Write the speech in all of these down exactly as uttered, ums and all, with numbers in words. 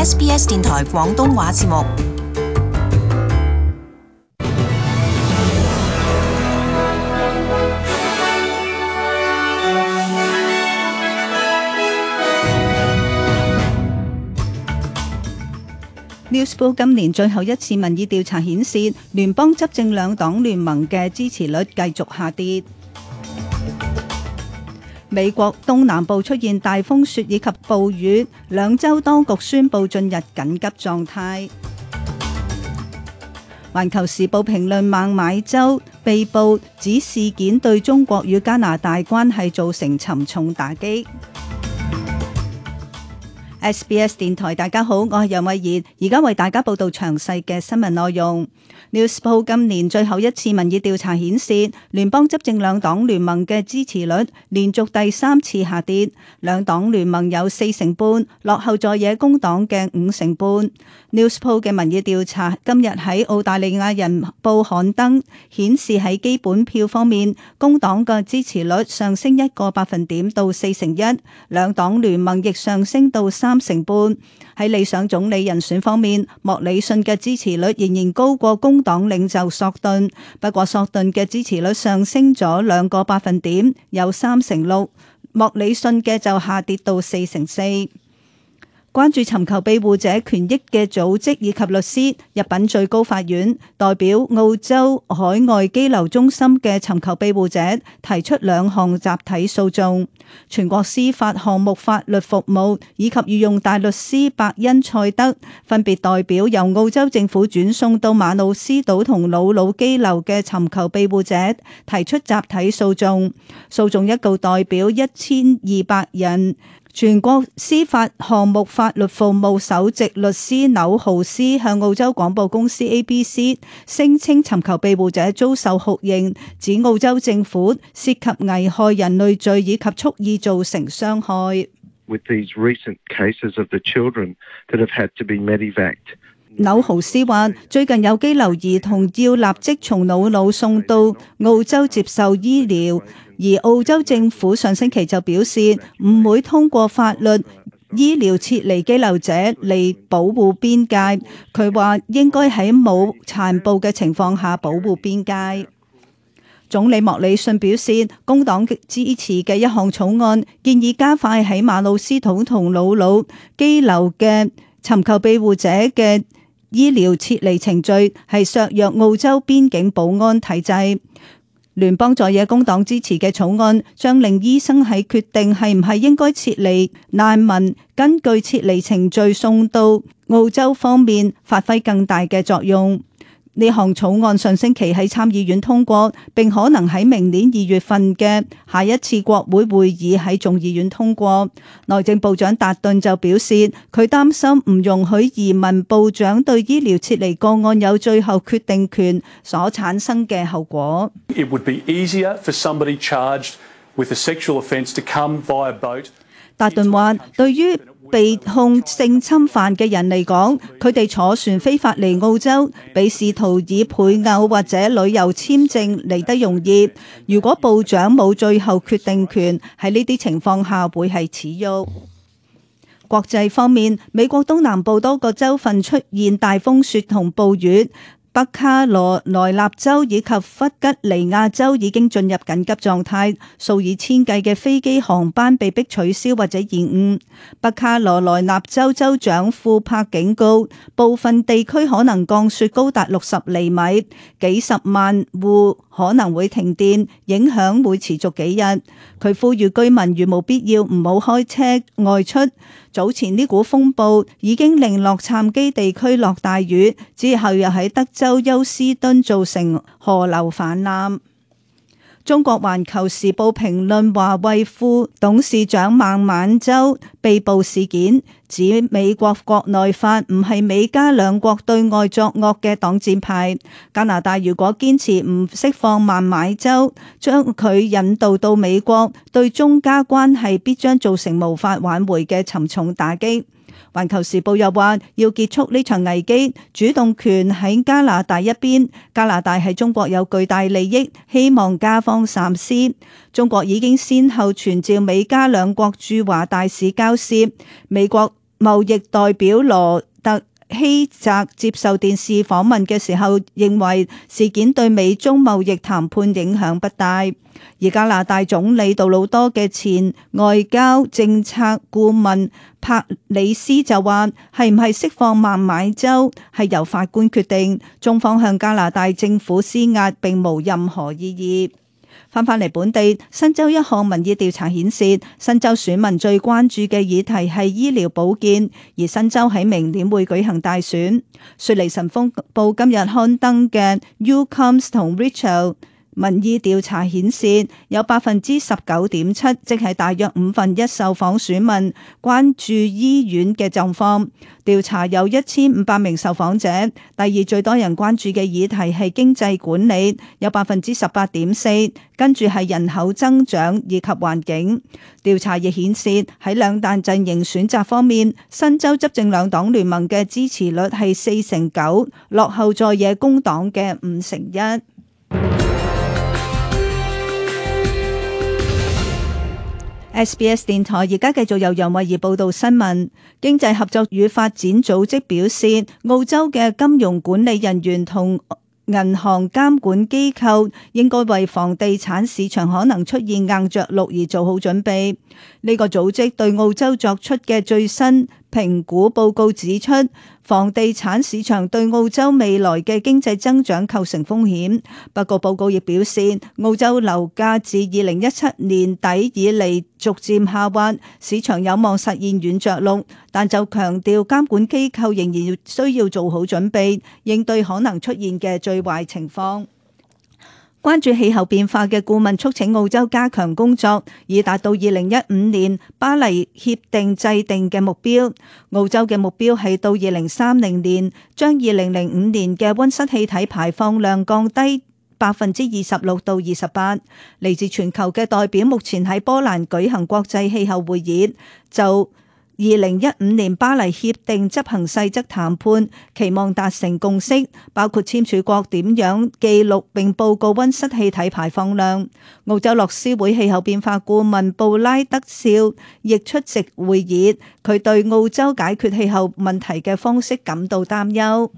S B S 電台廣東話節目。Newspoll 今年最後一次民意調查顯示，聯邦執政兩黨聯盟嘅支持率繼續下跌。美國東南部出現大風雪以及暴雨，兩州當局宣布進入緊急狀態。環球時報評論孟買州被捕指事件對中國與加拿大關係造成沉重打擊。S B S 電台，大家好，我係楊慧儀，而家為大家報道詳細嘅新聞內容。Newspoll 今年最後一次民意調查顯示，聯邦執政兩黨聯盟嘅支持率連續第三次下跌，兩黨聯盟有四成半，落後在野工黨嘅五成半。Newspoll 嘅民意調查今日喺澳大利亞人報刊登，顯示喺基本票方面，工黨嘅支持率上升一個百分點到四成一，兩黨聯盟亦上升到三成半。喺理想總理人選方面，莫里遜嘅支持率仍然高過工黨領袖索頓，不過索頓嘅支持率上升咗兩個百分點，有三成六，莫里遜嘅就下跌到四成四。關注尋求庇護者權益嘅組織以及律師入稟最高法院，代表澳洲海外羈留中心嘅尋求庇護者提出兩項集體訴訟。全國司法項目法律服務以及御用大律師伯恩賽德分別代表由澳洲政府轉送到馬努斯島同瑙魯羈留嘅尋求庇護者提出集體訴訟，訴訟一共代表一千二百人。全國司法項目法律服務首席律師紐豪斯向澳洲廣播公司 A B C 聲稱尋求庇護者遭受酷刑，指澳洲政府涉及危害人類罪以及蓄意造成傷害。With these recent cases of the children that have had to be medevaced. 紐豪斯話：最近有羈留兒童要立即從瑙魯送到澳洲接受醫療，而澳洲政府上星期就表示唔會通過法律醫療撤離羈留者嚟保護邊界。佢話應該喺冇殘暴嘅情況下保護邊界。總理莫里遜表示，工黨支持嘅一項草案建議加快喺馬努斯島同瑙魯羈留嘅尋求庇護者嘅醫療撤離程序，係削弱澳洲邊境保安體制。聯邦在野工黨支持嘅草案將令醫生喺決定係唔係應該撤離難民，根據撤離程序送到澳洲方面發揮更大嘅作用。呢項草案上星期喺參議院通過，並可能喺明年二月份嘅下一次國會會議喺眾議院通過。內政部長達頓就表示，佢擔心唔容許移民部長對醫療撤離個案有最後決定權所產生嘅後果。It would be easier for somebody charged with a sexual offence to come via boat. 達頓話，對於被控性侵犯嘅人嚟講，佢哋坐船非法嚟澳洲，比試圖以配偶或者旅遊簽證嚟得容易。如果部長冇最後決定權，喺呢啲情況下會係恥辱。國際方面，美國東南部多個州份出現大風雪同暴雨。北卡羅來納州以及弗吉尼亞州已經進入緊急狀態，數以千計嘅飛機航班被迫取消或者延誤。北卡羅來納州州長庫珀警告，部分地區可能降雪高達六十厘米，幾十萬戶可能會停電，影響會持續幾日。佢呼籲居民如無必要唔好開車外出。早前呢股風暴已經令洛杉磯地區落大雨，之後又喺德州休斯敦造成河流泛濫。中國環球時報評論華為副董事長孟晚舟被捕事件，指美國國內法唔係美加兩國對外作惡嘅擋箭牌。加拿大如果堅持唔釋放孟晚舟，將佢引渡到美國，對中加關係必將造成無法挽回嘅沉重打擊。環球時報又話，要結束呢場危機，主動權喺加拿大一邊。加拿大喺中國有巨大利益，希望加方三思。中國已經先後傳召美加兩國駐華大使交涉，美國貿易代表羅特希澤接受電視訪問嘅時候，認為事件對美中貿易談判影響不大。而加拿大總理杜魯多嘅前外交政策顧問帕里斯就話，係唔係釋放孟買州係由法官決定，中方向加拿大政府施壓並無任何意義。翻返嚟本地，新州一項民意調查顯示，新州選民最關注嘅議題係醫療保健，而新州喺明年會舉行大選。雪梨晨鋒報今日刊登嘅 Newcombs 同 Richard民意調查顯示，有百分之十九點七，即係大約五分一受訪選民關注醫院嘅狀況。調查有一千五百名受訪者，第二最多人關注嘅議題係經濟管理，有百分之十八點四，跟住係人口增長以及環境。調查亦顯示喺兩大陣營選擇方面，新州執政兩黨聯盟嘅支持率係四成九，落後在野工黨嘅五成一。S B S 電台而家繼續由楊慧儀報道新聞。經濟合作與發展組織表示，澳洲嘅金融管理人員同銀行監管機構應該為房地產市場可能出現硬着陸而做好準備。呢個組織對澳洲作出嘅最新評估報告指出，房地產市場對澳洲未來嘅經濟增長構成風險。不過報告亦表示，澳洲樓價自二零一七年底以嚟逐漸下滑，市場有望實現軟着陸，但就強調監管機構仍然需要做好準備，應對可能出現嘅最壞情況。關注氣候變化嘅顧問促請澳洲加強工作，以達到二零一五年巴黎協定制定嘅目標。澳洲嘅目標係到二零三零年將二零零五年嘅溫室氣體排放量降低百分之二十六到二十八。嚟自全球嘅代表目前喺波蘭舉行國際氣候會議，就二零一五年巴黎協定執行細則談判，期望達成共識，包括簽署國點樣記錄並報告溫室氣體排放量。澳洲樂施會氣候變化顧問布拉德少亦出席會議，佢對澳洲解決氣候問題嘅方式感到擔憂。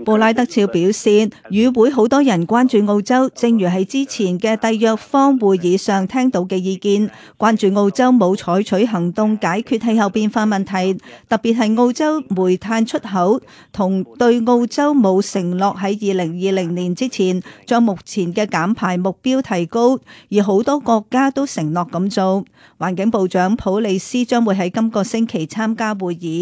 布拉德肖表示，與會好多人關注澳洲，正如喺之前嘅締約方會議上聽到嘅意見，關注澳洲冇採取行動解決氣候變化問題，特別係澳洲煤炭出口，同對澳洲冇承諾喺二零二零年之前將目前嘅減排目標提高，而好多國家都承諾咁做。環境部長普利斯將會喺今個星期參加會議。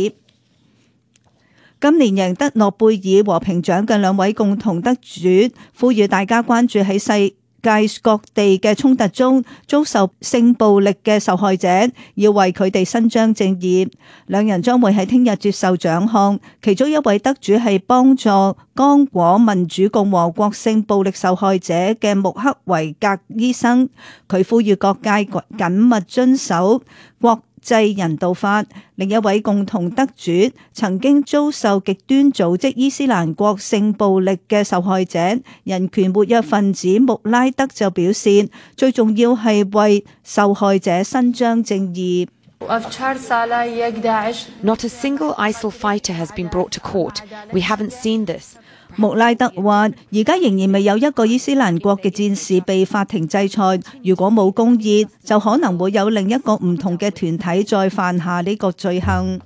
今年贏得諾貝爾和平獎嘅兩位共同得主，呼籲大家關注喺世界各地嘅衝突中遭受性暴力嘅受害者，要為佢哋伸張正義。兩人將會喺聽日接受獎項，其中一位得主係幫助剛果民主共和國性暴力受害者嘅穆克維格醫生，佢呼籲各界緊密遵守國際人道法。另一位共同得主曾經遭受極端組織伊斯蘭國性暴力嘅受害者人權活躍分子穆拉德就表示，最重要係為受害者伸張正義。Not a single I S I L fighter has been brought to court. We haven't seen this. 穆拉德話：而家仍然未有一個伊斯蘭國嘅戰士被法庭制裁。如果冇公義，就可能會有另一個唔同嘅團體再犯下呢個罪行。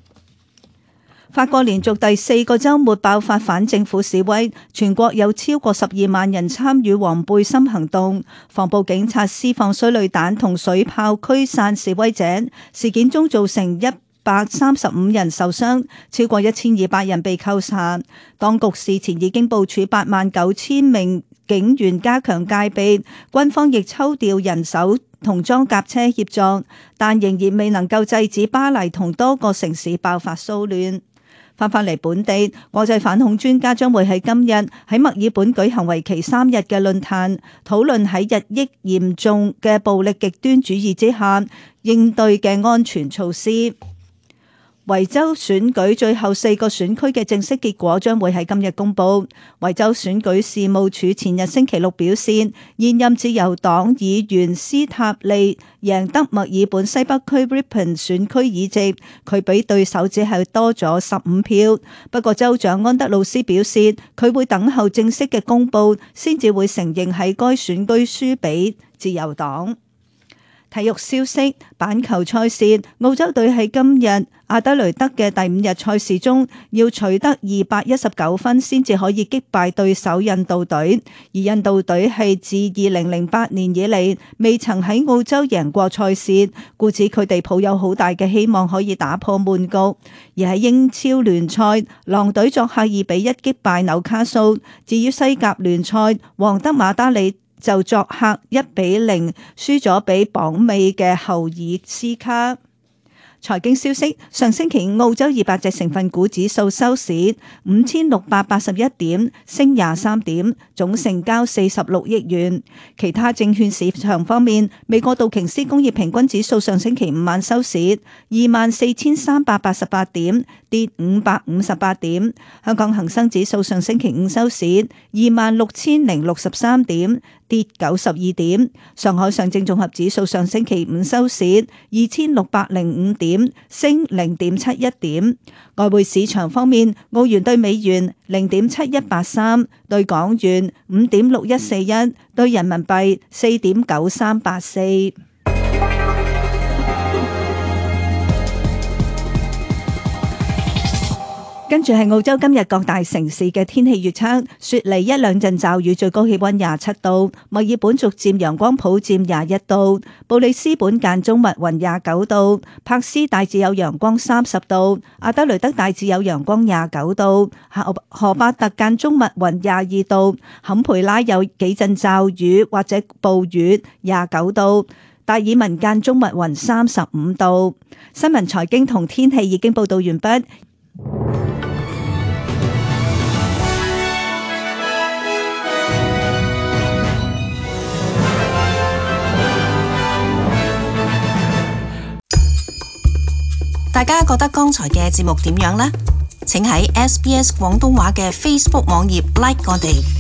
法國連續第四個週末爆發反政府示威，全國有超過十二萬人參與黃背心行動，防暴警察施放催淚彈同水炮驅散示威者。事件中造成一百三十五人受傷，超過一千二百人被扣查。當局事前已經部署八萬九千名警員加強戒備，軍方亦抽調人手同裝甲車協助，但仍然未能夠制止巴黎同多個城市爆發騷亂。翻返嚟本地，國際反恐專家將會喺今日喺墨爾本舉行為期三日嘅論壇，討論喺日益嚴重嘅暴力極端主義之下應對嘅安全措施。維州選舉最後四個選區嘅正式結果將會喺今日公佈。維州選舉事務處前日星期六表示，現任自由黨議員斯塔利贏得墨爾本西北區 Ripon 選區議席，佢比對手只係多咗十五票。不過州長安德魯斯表示，佢會等候正式嘅公佈，先至會承認喺該選區輸俾自由黨。體育消息，板球賽事，澳洲隊喺今日阿德雷德嘅第五日賽事中，要取得二百一十九分先至可以擊敗對手印度隊，而印度隊係自二零零八年以嚟未曾喺澳洲贏過賽事，故此佢哋抱有好大嘅希望可以打破悶局。而喺英超聯賽，狼隊作客二比一擊敗紐卡素，至於西甲聯賽，皇德馬德里就作客一比零輸咗俾榜尾嘅侯爾斯卡。財經消息，上星期澳洲二百隻成分股指數收市五千六百八十一點，升廿三點，總成交四十六億元。其他證券市場方面，美國道瓊斯工業平均指數上星期五晚收市二萬四千三百八十八點，跌五百五十八點。香港恒生指數上星期五收市二萬六千零六十三點，跌九十二點。上海上證綜合指數上星期五收市二千六百零五點，升零點七一點。外匯市場方面，澳元兌美元零點七一八三，兌港元五點六一四一，兌人民幣四點九三八四。跟住係澳洲今日各大城市嘅天氣預測：雪梨一兩陣驟雨，最高氣溫廿七度；墨爾本逐漸陽光普照廿一度；布里斯本間中密雲廿九度；柏斯大致有陽光三十度；阿德雷德大致有陽光廿九度；荷荷巴特間中密雲廿二度；坎培拉有幾陣驟雨或者暴雨廿九度；達爾文間中密雲三十五度。新聞財經同天氣已經報道完畢。大家覺得剛才嘅節目點樣呢？請喺 S B S 廣東話嘅 Facebook 網頁 like 我哋。